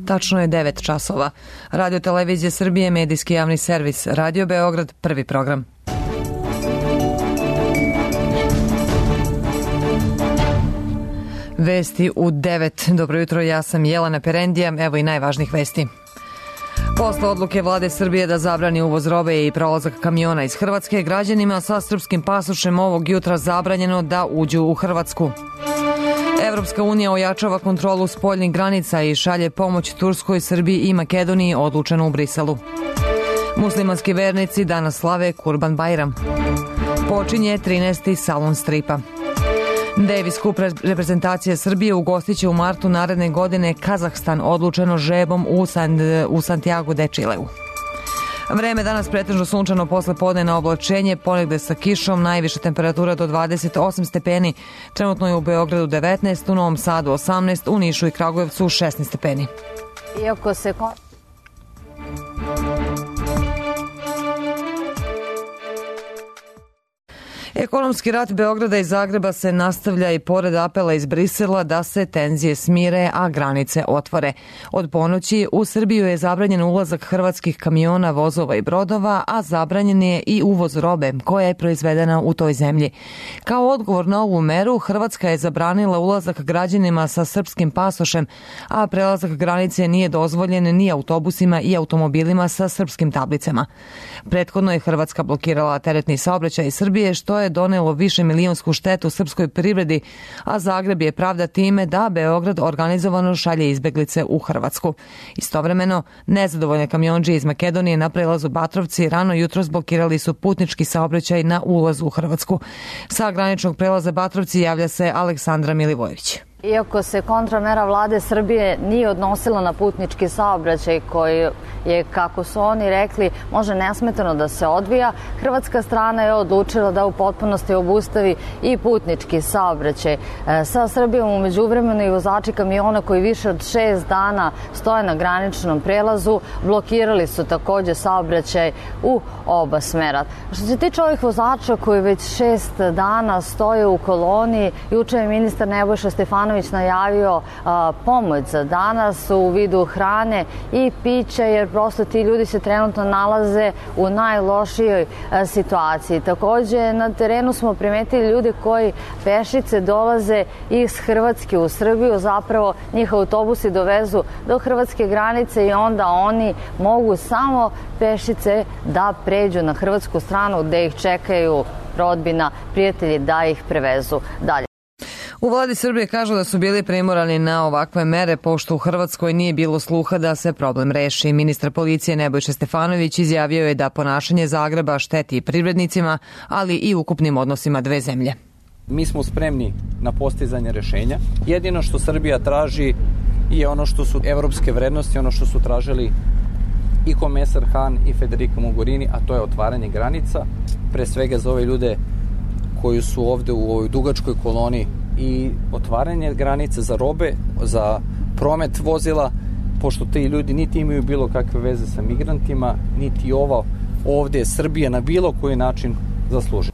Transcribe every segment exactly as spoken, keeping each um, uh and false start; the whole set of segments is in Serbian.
Tačno je devet časova. Radio Televizija Srbije, medijski javni servis. Radio Beograd, prvi program. Vesti u devet. Dobro jutro, ja sam Jelena Perendija. Evo i najvažnijih vesti. Posle odluke vlade Srbije da zabrani uvoz robe i prolazak kamiona iz Hrvatske, građanima sa srpskim pasošem ovog jutra zabranjeno da uđu u Hrvatsku. Evropska unija ojačava kontrolu spoljnih granica i šalje pomoć Turskoj, Srbiji i Makedoniji, odlučeno u Briselu. Muslimanski vernici danas slave Kurban Bajram. Počinje trinaesti salon stripa. Davis Cup reprezentacija Srbije ugostiće u martu naredne godine Kazahstan, odlučeno žrebom u, San, u Santiago de Chileu. Vreme danas pretežno sunčano, posle podne na oblačenje, ponegde sa kišom, najviša temperatura do dvadeset osam stepeni. Trenutno je u Beogradu devetnaest, u Novom Sadu osamnaest, u Nišu i Kragujevcu šesnaest stepeni. Iako se... Ekonomski rat Beograda i Zagreba se nastavlja i pored apela iz Brisela da se tenzije smire, a granice otvore. Od ponoći u Srbiju je zabranjen ulazak hrvatskih kamiona, vozova i brodova, a zabranjen je i uvoz robe koja je proizvedena u toj zemlji. Kao odgovor na ovu meru, Hrvatska je zabranila ulazak građanima sa srpskim pasošem, a prelazak granice nije dozvoljen ni autobusima i automobilima sa srpskim tablicama. Prethodno je Hrvatska blokirala teretni saobraćaj iz Srbije, što je donelo više milionsku štetu srpskoj privredi, a Zagreb je pravda time da Beograd organizovano šalje izbeglice u Hrvatsku. Istovremeno, nezadovoljne kamionđije iz Makedonije na prelazu Batrovci rano jutros blokirali su putnički saobraćaj na ulazu u Hrvatsku. Sa graničnog prelaza Batrovci javlja se Aleksandra Milivojević. Iako se kontramera vlade Srbije nije odnosila na putnički saobraćaj koji je, kako su oni rekli, može nesmetano da se odvija, hrvatska strana je odlučila da u potpunosti obustavi i putnički saobraćaj. Sa Srbijom u međuvremenu i vozači kamiona koji više od šest dana stoje na graničnom prelazu blokirali su takođe saobraćaj u oba smera. Što se tiče ovih vozača koji već šest dana stoje u koloni, juče je ministar Nebojša Stefanović najavio a, pomoć za danas u vidu hrane i pića, jer prosto ti ljudi se trenutno nalaze u najlošijoj a, situaciji. Takođe, na terenu smo primetili ljude koji pešice dolaze iz Hrvatske u Srbiju, zapravo njih autobusi dovezu do hrvatske granice i onda oni mogu samo pešice da pređu na hrvatsku stranu gde ih čekaju rodbina, prijatelji da ih prevezu dalje. U vladi Srbije kažu da su bili primorani na ovakve mere, pošto u Hrvatskoj nije bilo sluha da se problem reši. Ministar policije Nebojša Stefanović izjavio je da ponašanje Zagreba šteti privrednicima, ali i ukupnim odnosima dve zemlje. Mi smo spremni na postizanje rešenja. Jedino što Srbija traži je ono što su evropske vrednosti, ono što su tražili i komesar Han i Federica Mogherini, a to je otvaranje granica, pre svega za ove ljude koji su ovde u ovoj dugačkoj koloni, i otvaranje granice za robe, za promet vozila, pošto ti ljudi niti imaju bilo kakve veze sa migrantima, niti ova ovde Srbija na bilo koji način zasluži.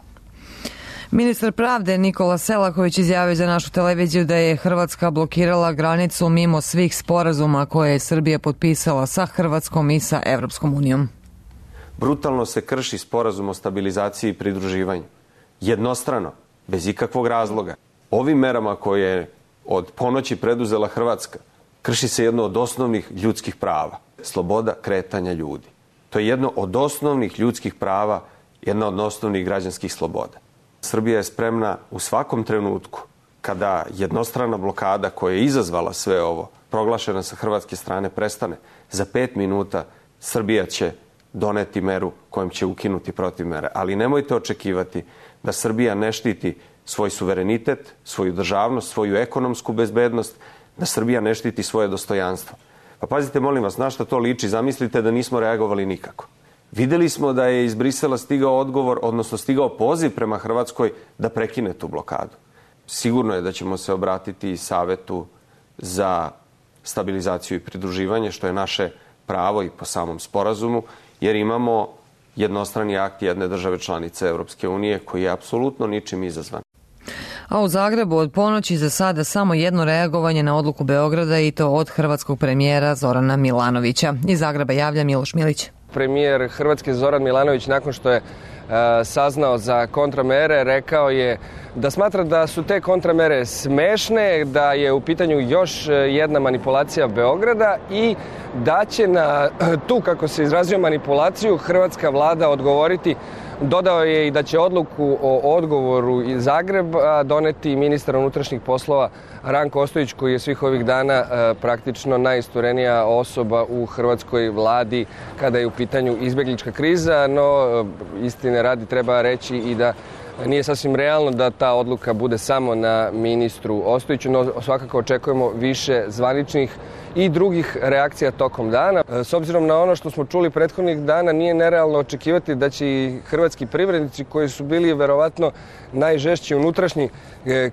Ministar pravde Nikola Selaković izjavio za našu televiziju da je Hrvatska blokirala granicu mimo svih sporazuma koje je Srbija potpisala sa Hrvatskom i sa Evropskom unijom. Brutalno se krši sporazum o stabilizaciji i pridruživanju. Jednostrano, bez ikakvog razloga. Ovim merama koje je od ponoći preduzela Hrvatska, krši se jedno od osnovnih ljudskih prava. Sloboda kretanja ljudi. To je jedno od osnovnih ljudskih prava, jedna od osnovnih građanskih sloboda. Srbija je spremna u svakom trenutku, kada jednostrana blokada koja je izazvala sve ovo, proglašena sa hrvatske strane, prestane, za pet minuta Srbija će doneti meru kojom će ukinuti protivmere. Ali nemojte očekivati da Srbija ne štiti svoj suverenitet, svoju državnost, svoju ekonomsku bezbednost, da Srbija ne štiti svoje dostojanstvo. Pa pazite, molim vas, na šta to liči? Zamislite da nismo reagovali nikako. Videli smo da je iz Brisela stigao odgovor, odnosno stigao poziv prema Hrvatskoj da prekine tu blokadu. Sigurno je da ćemo se obratiti Savetu za stabilizaciju i pridruživanje, što je naše pravo i po samom sporazumu, jer imamo jednostrani akt jedne države članice Evropske unije koji je apsolutno ničim izazvan. A u Zagrebu od ponoći za sada samo jedno reagovanje na odluku Beograda i to od hrvatskog premijera Zorana Milanovića. Iz Zagreba javlja Miloš Milić. Premijer Hrvatske Zoran Milanović nakon što je e, saznao za kontramere rekao je da smatra da su te kontramere smešne, da je u pitanju još jedna manipulacija Beograda i da će na tu, kako se izrazio, manipulaciju hrvatska vlada odgovoriti. Dodao je i da će odluku o odgovoru iz Zagreba doneti ministar unutrašnjih poslova Ranko Ostojić, koji je svih ovih dana e, praktično najisturenija osoba u hrvatskoj vladi kada je u pitanju izbeglička kriza, no e, istine radi treba reći i da nije sasvim realno da ta odluka bude samo na ministru Ostojiću, no svakako očekujemo više zvaničnih i drugih reakcija tokom dana. S obzirom na ono što smo čuli prethodnih dana, nije nerealno očekivati da će i hrvatski privrednici, koji su bili verovatno najžešći unutrašnji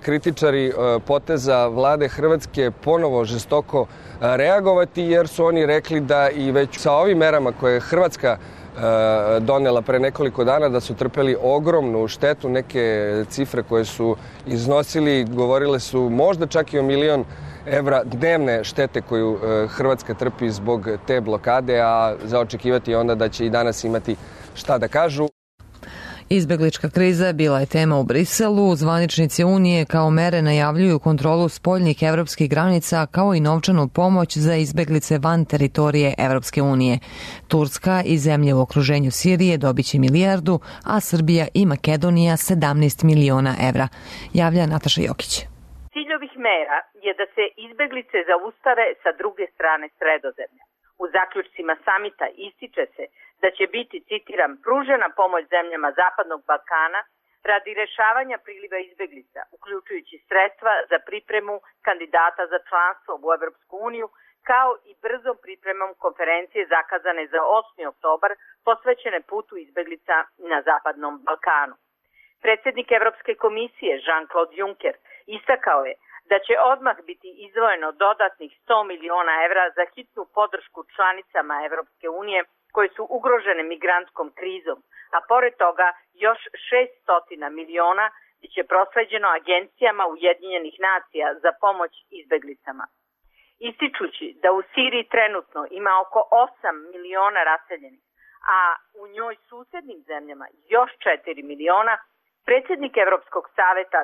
kritičari poteza vlade Hrvatske, ponovo žestoko reagovati, jer su oni rekli da i već sa ovim merama koje je Hrvatska donela pre nekoliko dana, da su trpeli ogromnu štetu. Neke cifre koje su iznosili govorile su možda čak i o milion evra dnevne štete koju Hrvatska trpi zbog te blokade, a za očekivati onda da će i danas imati šta da kažu. Izbeglička kriza bila je tema u Briselu. Zvaničnici Unije kao mere najavljuju kontrolu spoljnih evropskih granica kao i novčanu pomoć za izbeglice van teritorije Evropske unije. Turska i zemlje u okruženju Sirije dobiće milijardu, a Srbija i Makedonija sedamnaest miliona evra. Javlja Nataša Jokić. Cilj ovih mera je da se izbeglice zaustave sa druge strane Sredozemlja. U zaključcima samita ističe se da će biti, citiram, pružena pomoć zemljama Zapadnog Balkana radi rešavanja priliva izbeglica, uključujući sredstva za pripremu kandidata za članstvo u Evropsku uniju, kao i brzom pripremom konferencije zakazane za osmi oktobar posvećene putu izbeglica na Zapadnom Balkanu. Predsjednik Evropske komisije Jean-Claude Juncker istakao je da će odmah biti izdvojeno dodatnih sto miliona evra za hitnu podršku članicama Evropske unije koje su ugrožene migrantskom krizom, a pored toga još šessto miliona biće prosleđeno agencijama Ujedinjenih nacija za pomoć izbeglicama. Ističući da u Siriji trenutno ima oko osam miliona raseljenih, a u njoj susednim zemljama još četiri miliona, predsjednik Evropskog saveta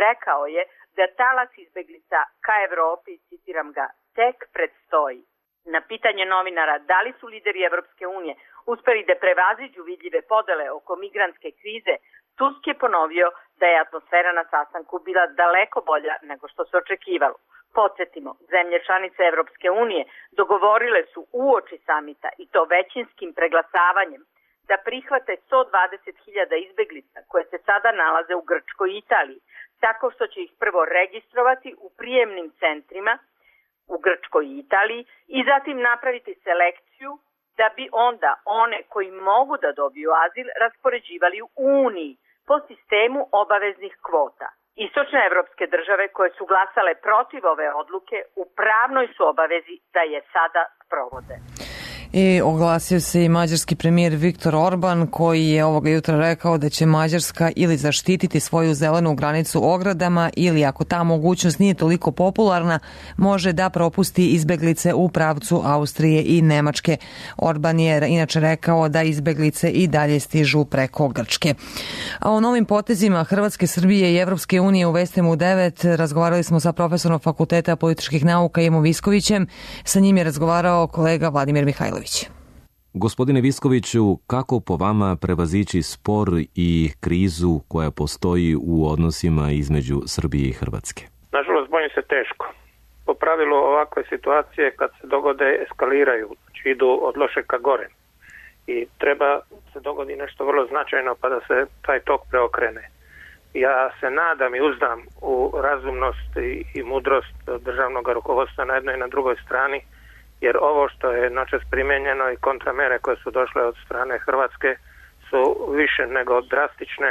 rekao je da talas izbeglica ka Evropi, citiram ga, tek predstoji. Na pitanje novinara da li su lideri Evropske unije uspeli da prevaziđu vidljive podele oko migrantske krize, Tusk je ponovio da je atmosfera na sastanku bila daleko bolja nego što se očekivalo. Podsjetimo, zemlje članice Evropske unije dogovorile su uoči samita, i to većinskim preglasavanjem, da prihvate sto dvadeset hiljada izbeglica koje se sada nalaze u Grčkoj i Italiji, tako što će ih prvo registrovati u prijemnim centrima u Grčkoj i Italiji i zatim napraviti selekciju da bi onda one koji mogu da dobiju azil raspoređivali u Uniji po sistemu obaveznih kvota. Istočne evropske države koje su glasale protiv ove odluke u pravnoj su obavezi da je sada sprovode. I oglasio se i mađarski premijer Viktor Orban, koji je ovoga jutra rekao da će Mađarska ili zaštititi svoju zelenu granicu ogradama ili, ako ta mogućnost nije toliko popularna, može da propusti izbeglice u pravcu Austrije i Nemačke. Orban je inače rekao da izbeglice i dalje stižu preko Grčke. A o novim potezima Hrvatske, Srbije i Evropske unije u Vestima u devet razgovarali smo sa profesorom Fakulteta političkih nauka Imom Viskovićem. Sa njim je razgovarao kolega Vladimir Mihajlović. Gospodine Viskoviću, kako po vama prevazići spor i krizu koja postoji u odnosima između Srbije i Hrvatske? Nažalost, bojim se teško. Po pravilu ovakve situacije kad se dogode eskaliraju, znači idu od lošeg ka gore. I treba se dogodi nešto vrlo značajno pa da se taj tok preokrene. Ja se nadam i uzdam u razumnost i, i mudrost državnog rukovodstva na jednoj i na drugoj strani, jer ovo što je noćas primijenjeno i kontramere koje su došle od strane Hrvatske su više nego drastične.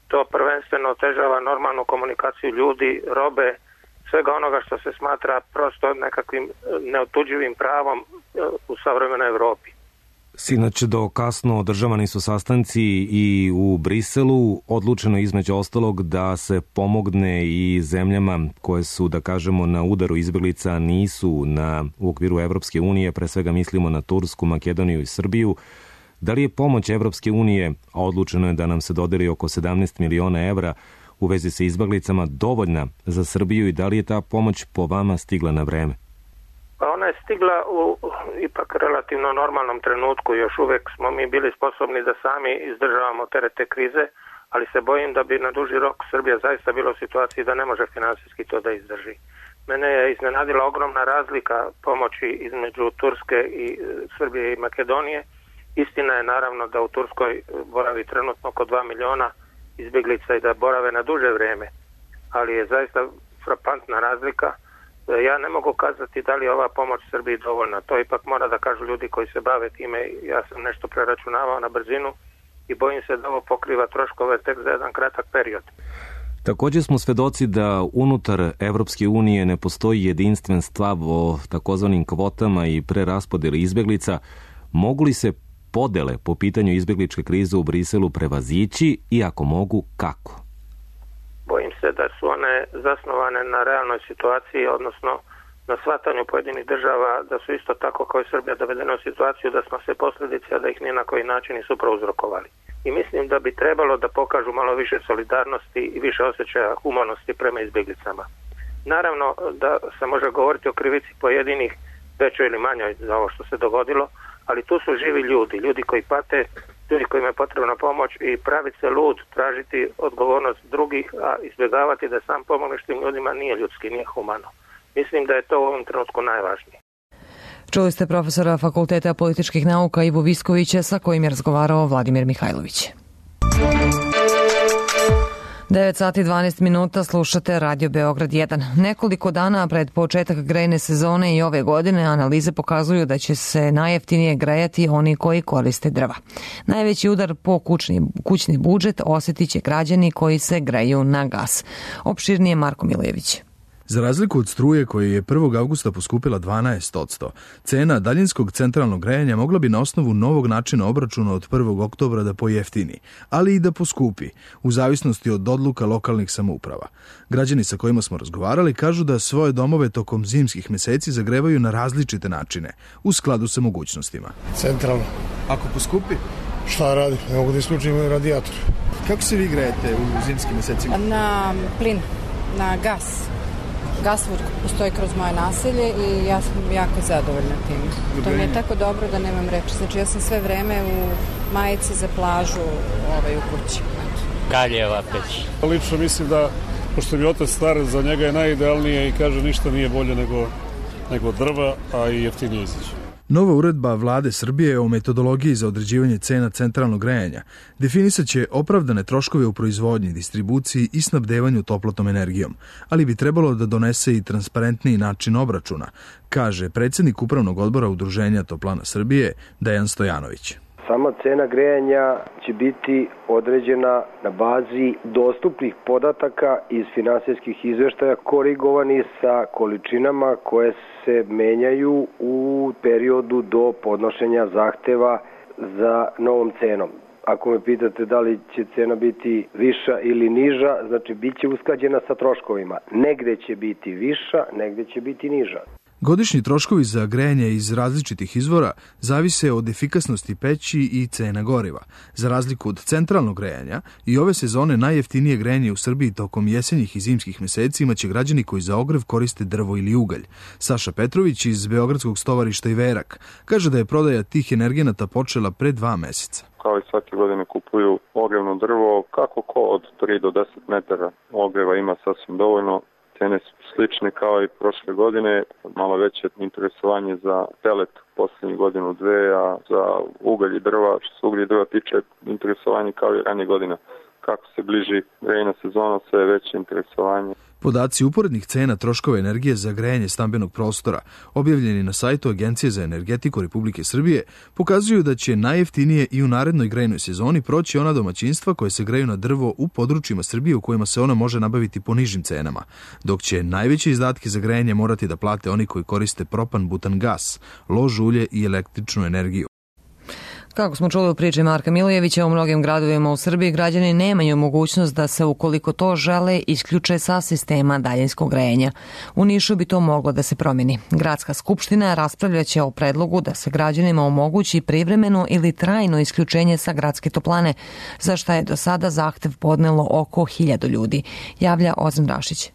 To prvenstveno otežava normalnu komunikaciju ljudi, robe, svega onoga što se smatra prosto nekakvim neotuđivim pravom u savremenoj Europi. Sinoć do kasno održavani su sastanci i u Briselu. Odlučeno između ostalog da se pomogne i zemljama koje su, da kažemo, na udaru izbjeglica, nisu na, u okviru Evropske unije, pre svega mislimo na Tursku, Makedoniju i Srbiju. Da li je pomoć Evropske unije, a odlučeno je da nam se dodeli oko sedamnaest miliona evra u vezi sa izbjeglicama, dovoljna za Srbiju i da li je ta pomoć po vama stigla na vreme? Pa ona je stigla u ipak relativno normalnom trenutku. Još uvijek smo mi bili sposobni da sami izdržavamo teret te krize, ali se bojim da bi na duži rok Srbija zaista bila u situaciji da ne može finansijski to da izdrži. Mene je iznenadila ogromna razlika pomoći između Turske i Srbije i Makedonije. Istina je naravno da u Turskoj boravi trenutno oko dva miliona izbjeglica i da borave na duže vrijeme, ali je zaista frapantna razlika. Ja ne mogu kazati da li je ova pomoć Srbiji dovoljna. To ipak mora da kažu ljudi koji se bave time. Ja sam nešto preračunavao na brzinu i bojim se da ovo pokriva troškove tek za jedan kratak period. Također smo svedoci da unutar Evropske unije ne postoji jedinstven stav o takozvanim kvotama i preraspodjeli izbjeglica. Mogu li se podele po pitanju izbjegličke krize u Briselu prevazići i ako mogu, kako? Bojim se da su one zasnovane na realnoj situaciji, odnosno na shvatanju pojedinih država da su isto tako kao i Srbija dovedene u situaciju da smo se posljedice, a da ih ni na koji način nisu prouzrokovali. I mislim da bi trebalo da pokažu malo više solidarnosti i više osjećaja humanosti prema izbjeglicama. Naravno da se može govoriti o krivici pojedinih, većoj ili manjoj za ovo što se dogodilo, ali tu su živi ljudi, ljudi koji pate, ljudi kojima je potrebna pomoć i praviti se lud, tražiti odgovornost drugih, a izbjegavati da sam pomogneš tim ljudima nije ljudski, nije humano. Mislim da je to u ovom trenutku najvažnije. Čuli ste profesora Fakulteta političkih nauka Ivu Viskovića sa kojim je razgovarao Vladimir Mihajlović. devet sati i dvanaest minuta, slušate Radio Beograd jedan. Nekoliko dana pred početak grejne sezone i ove godine analize pokazuju da će se najjeftinije grejati oni koji koriste drva. Najveći udar po kućni, kućni budžet osjetit će građani koji se greju na gas. Opširnije Marko Milejević. Za razliku od struje koja je prvog avgusta poskupila dvanaest posto, cena daljinskog centralnog grejanja mogla bi na osnovu novog načina obračuna od prvog oktobra da pojeftini, ali i da poskupi, u zavisnosti od odluka lokalnih samouprava. Građani sa kojima smo razgovarali kažu da svoje domove tokom zimskih meseci zagrevaju na različite načine, u skladu sa mogućnostima. Centralno. Ako poskupi? Šta radi? Ne mogu da isključim radijator. Kako se vi grejete u zimskim mesecima? Na plin, na gas. Gasvod postoji kroz moje naselje i ja sam jako zadovoljna tim. To mi je tako dobro da nemam reči. Znači ja sam sve vreme u majici za plažu ovaj, u kući. Kaljeva peć. Lično mislim da, pošto mi otac star, za njega je najidealnije i kaže ništa nije bolje nego, nego drva, a i jeftinije izaći. Nova uredba Vlade Srbije o metodologiji za određivanje cena centralnog grejanja definisat će opravdane troškove u proizvodnji, distribuciji i snabdevanju toplotnom energijom, ali bi trebalo da donese i transparentniji način obračuna, kaže predsjednik Upravnog odbora Udruženja Toplana Srbije Dejan Stojanović. Sama cena grejanja će biti određena na bazi dostupnih podataka iz finansijskih izveštaja korigovani sa količinama koje se menjaju u periodu do podnošenja zahteva za novom cenom. Ako me pitate da li će cena biti viša ili niža, znači bit će usklađena sa troškovima. Negde će biti viša, negde će biti niža. Godišnji troškovi za grejanje iz različitih izvora zavise od efikasnosti peći i cena goriva. Za razliku od centralnog grejanja, i ove sezone najjeftinije grejanje u Srbiji tokom jesenjih i zimskih meseci imaće građani koji za ogrev koriste drvo ili ugalj. Saša Petrović iz Beogradskog stovarišta Iverak kaže da je prodaja tih energenata počela pre dva meseca. Kao i svake godine kupuju ogrevno drvo, kako ko od tri do deset metara ogreva ima sasvim dovoljno. Cene su slične kao i prošle godine, malo veće interesovanje za pelet posljednjih godinu dve, a za ugalj i drva, što se ugalj i drva tiče, interesovanje kao i ranije godina. Kako se bliži grejna sezona, sve je veće interesovanje. Podaci uporednih cena troškova energije za grejanje stambenog prostora, objavljeni na sajtu Agencije za energetiku Republike Srbije, pokazuju da će najjeftinije i u narednoj grejnoj sezoni proći ona domaćinstva koje se greju na drvo u područjima Srbije u kojima se ona može nabaviti po nižim cenama, dok će najveće izdatke za grejanje morati da plate oni koji koriste propan, butan gas, lož ulje i električnu energiju. Kako smo čuli u priči Marka Milojevića, u mnogim gradovima u Srbiji građani nemaju mogućnost da se, ukoliko to žele, isključe sa sistema daljinskog grejanja. U Nišu bi to moglo da se promeni. Gradska skupština raspravljaće o predlogu da se građanima omogući privremeno ili trajno isključenje sa gradske toplane, za šta je do sada zahtev podnelo oko hiljadu ljudi, javlja Ozan Rašić.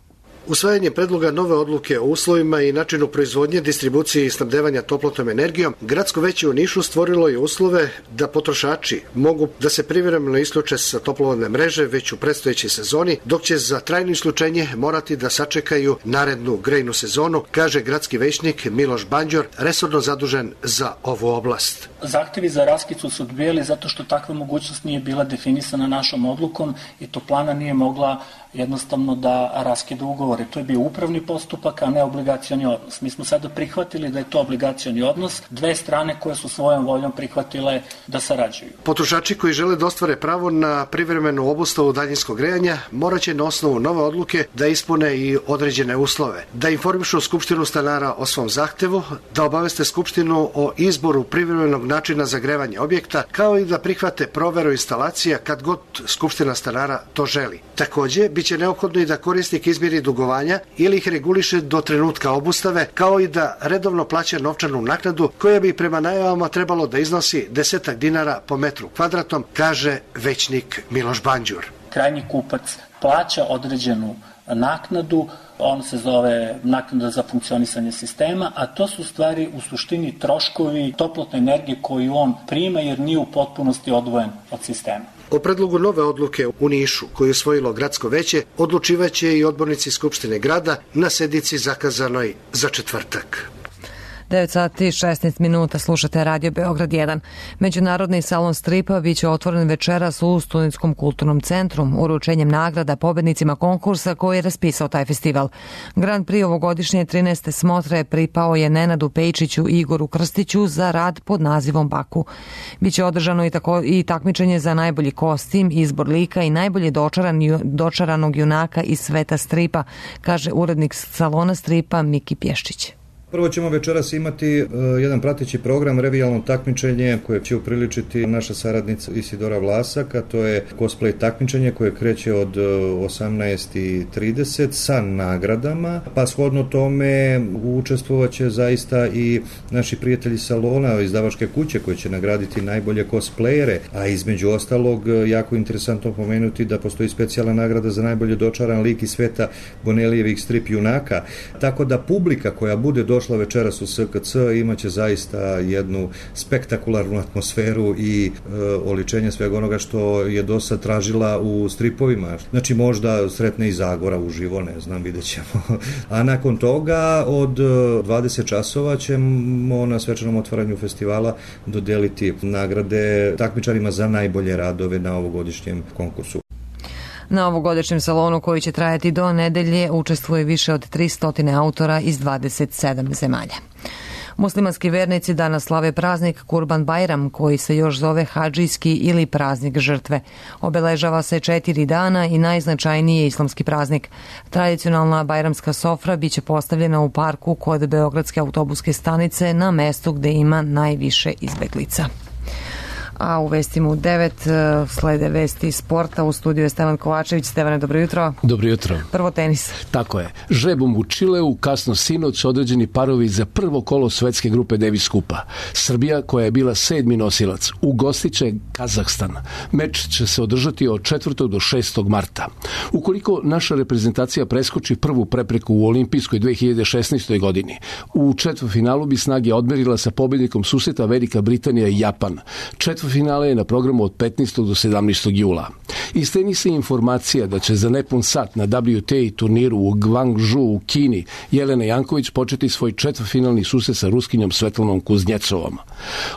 Usvajanje predloga nove odluke o uslovima i načinu proizvodnje, distribucije i snabdevanja toplotnom energijom, gradsko veće u Nišu stvorilo je uslove da potrošači mogu da se privremeno isključe sa toplovodne mreže već u predstojećoj sezoni, dok će za trajno isključenje morati da sačekaju narednu grejnu sezonu, kaže gradski većnik Miloš Banđor, resorno zadužen za ovu oblast. Zahtevi za raskicu su odbijali zato što takva mogućnost nije bila definisana našom odlukom i toplana nije mogla jednostavno da raskida ugovore. To je bio upravni postupak, a ne obligacioni odnos. Mi smo sada prihvatili da je to obligacioni odnos, dve strane koje su svojom voljom prihvatile da sarađuju. Potrošači koji žele da ostvare pravo na privremenu obustavu daljinskog grejanja moraće na osnovu nove odluke da ispune i određene uslove, da informišu Skupštinu stanara o svom zahtevu, da obaveste Skupštinu o izboru privremenog načina zagrevanja objekta, kao i da prihvate proveru instalacija kad god Skupština stanara to želi. Takođe, biće neophodno i da korisnik izmiri dugovanja ili ih reguliše do trenutka obustave, kao i da redovno plaća novčanu naknadu koja bi prema najavama trebalo da iznosi desetak dinara po metru kvadratnom, kaže većnik Miloš Banđur. Krajnji kupac plaća određenu naknadu, on se zove naknada za funkcionisanje sistema, a to su stvari u suštini troškovi toplotne energije koju on prima jer nije u potpunosti odvojen od sistema. O predlogu nove odluke u Nišu, koju je usvojilo gradsko veće, odlučivaće i odbornici Skupštine grada na sednici zakazanoj za četvrtak. devet sati i šesnaest minuta, slušate Radio Beograd jedan. Međunarodni salon stripa biće otvoren večeras u Studentskom kulturnom centru, uručenjem nagrada pobednicima konkursa koji je raspisao taj festival. Grand Prix ovogodišnje trinaeste smotre pripao je Nenadu Pejčiću i Igoru Krstiću za rad pod nazivom Baku. Biće održano i, tako, i takmičenje za najbolji kostim, izbor lika i najbolje dočaran, dočaranog junaka iz sveta stripa, kaže urednik salona stripa Miki Pješčić. Prvo ćemo večeras imati uh, jedan prateći program, revijalno takmičenje koje će upriličiti naša saradnica Isidora Vlasak, a to je cosplay takmičenje koje kreće od uh, osamnaest i trideset sa nagradama, pa shodno tome učestvovaće zaista i naši prijatelji salona, izdavačke kuće koje će nagraditi najbolje cosplayere, a između ostalog jako interesantno pomenuti da postoji specijalna nagrada za najbolje dočaran lik iz sveta Bonelijevih strip junaka, tako da publika koja bude do došla večeras u S K C imaće zaista jednu spektakularnu atmosferu i e, oličenje svega onoga što je do sad tražila u stripovima. Znači možda sretne i Zagora uživo, ne znam, vidjet ćemo. A nakon toga od dvadeset časova ćemo na svečanom otvaranju festivala dodeliti nagrade takmičarima za najbolje radove na ovogodišnjem konkursu. Na ovogodišnjem salonu koji će trajati do nedelje učestvuje više od tristo autora iz dvadeset sedam zemalja. Muslimanski vernici danas slave praznik Kurban Bajram, koji se još zove hadžijski ili praznik žrtve. Obeležava se četiri dana i najznačajniji je islamski praznik. Tradicionalna bajramska sofra biće postavljena u parku kod Beogradske autobuske stanice na mestu gde ima najviše izbeglica. A u vestima u devet slede vesti sporta. U studiju je Stevan Kovačević. Stevane, dobro jutro. Dobro jutro. Prvo tenis. Tako je. Žrebom u Čileu kasno sinoć određeni parovi za prvo kolo svetske grupe Davis Kupa. Srbija, koja je bila sedmi nosilac, ugostiće Kazahstan. Meč će se održati od četvrtog do šestog marta. Ukoliko naša reprezentacija preskoči prvu prepreku u olimpijskoj dve hiljade šesnaestoj. godini, u četvrtfinalu bi snage odmerila sa pobednikom susreta Velika Britanija i Japan. Četvrtfinale finale je na programu od petnaestog do sedamnaestog jula. Iz tenisa informacija da će za nepun sat na W T A turniru u Guangzhou u Kini Jelena Janković početi svoj četvrtfinalni susret sa Ruskinjom Svetlanom Kuznjecovom.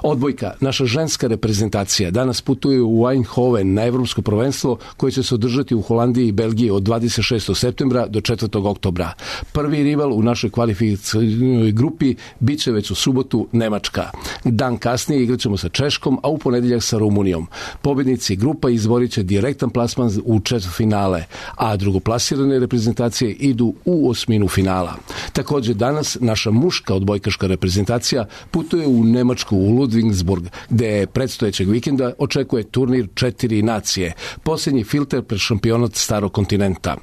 Odbojka, naša ženska reprezentacija, danas putuje u Eindhoven na evropsko prvenstvo koje će se održati u Holandiji i Belgiji od dvadeset šestog septembra do četvrtog oktobra. Prvi rival u našoj kvalifikacijnoj grupi biće već u subotu Nemačka. Dan kasnije igraćemo sa Češkom, a u ponedjeljak ponedeljak sa Rumunijom. Pobednici grupa izborit će direktan plasman u četvrtfinale, a drugoplasirane reprezentacije idu u osminu finala. Također danas naša muška odbojkaška reprezentacija putuje u Nemačku, u Ludwigsburg, gde predstojećeg vikenda očekuje turnir četiri nacije, posljednji filter pred šampionat starog kontinenta.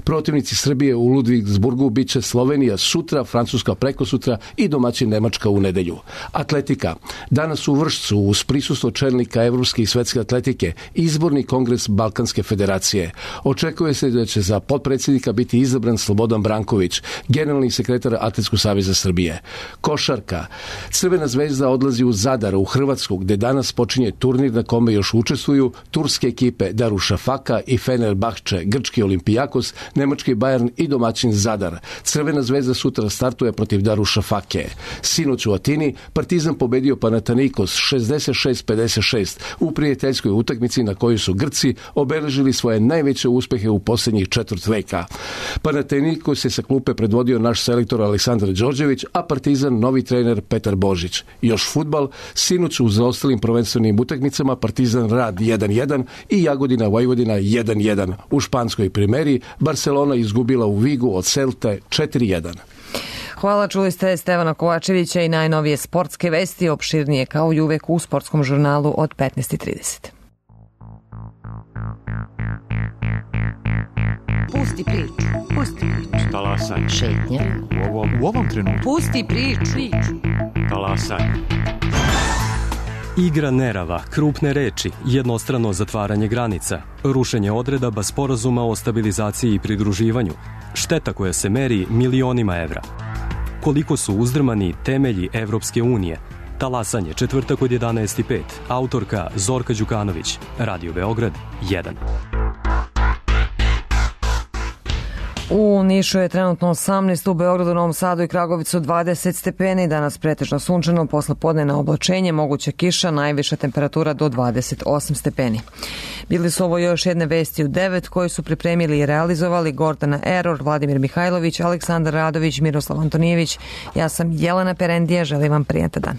Protivnici Srbije u Ludwigsburgu bit će Slovenija sutra, Francuska prekosutra i domaćin Nemačka u nedelju. Atletika. Danas u Vršcu uz prisustvo čelnika Evropske i svetske atletike izborni kongres Balkanske federacije. Očekuje se da će za potpredsjednika biti izabran Slobodan Branković, generalni sekretar Atletskog saveza Srbije. Košarka. Crvena zvezda odlazi u Zadar, u Hrvatsku, gde danas počinje turnir na kome još učestvuju turske ekipe Darušafaka i Fenerbahče, grčki Olimpijakos, nemački Bayern i domaćin Zadar. Crvena zvezda sutra startuje protiv Darušafake. Sinoć u Atini Partizan pobedio Panathinaikos šezdeset šest pedeset šest u prijateljskoj utakmici na kojoj su Grci obeležili svoje najveće uspehe u posljednjih četvrt veka. Panathinaikos je sa klupe predvodio naš selektor Aleksandar Đorđević, a Partizan novi trener Petar Božić. Još fudbal, sinoć u zaostalim prvenstvenim utakmicama Partizan Rad jedan jedan i Jagodina Vojvodina jedan jedan. U španskoj primeri Barcelona izgubila u Vigu od Celte četiri jedan. Hvala, čuli ste Stevana Kovačevića i najnovije sportske vesti, opširnije kao i uvek u sportskom žurnalu od petnaest i trideset. Pusti priču, pusti priču. Talasaj. Šetnja. U ovom, u ovom trenutku. Pusti priču. priču. Talasaj. Igra nerava, krupne reči, jednostrano zatvaranje granica, rušenje odredaba sporazuma o stabilizaciji i pridruživanju, šteta koja se meri milionima evra. Koliko su uzdrmani temelji Evropske unije? Talasanje, četvrtak od jedanaest i pet. Autorka Zorka Đukanović. Radio Beograd jedan. U Nišu je trenutno osamnaest, u Beogradu, Novom Sadu i Kragovicu dvadeset stepeni, danas pretežno sunčano, posle podne na oblačenje, moguća kiša, najviša temperatura do dvadeset osam stepeni. Bili su ovo još jedne vesti u devet koje su pripremili i realizovali Gordana Eror, Vladimir Mihajlović, Aleksandar Radović, Miroslav Antonijević. Ja sam Jelena Perendija, želim vam prijatan dan.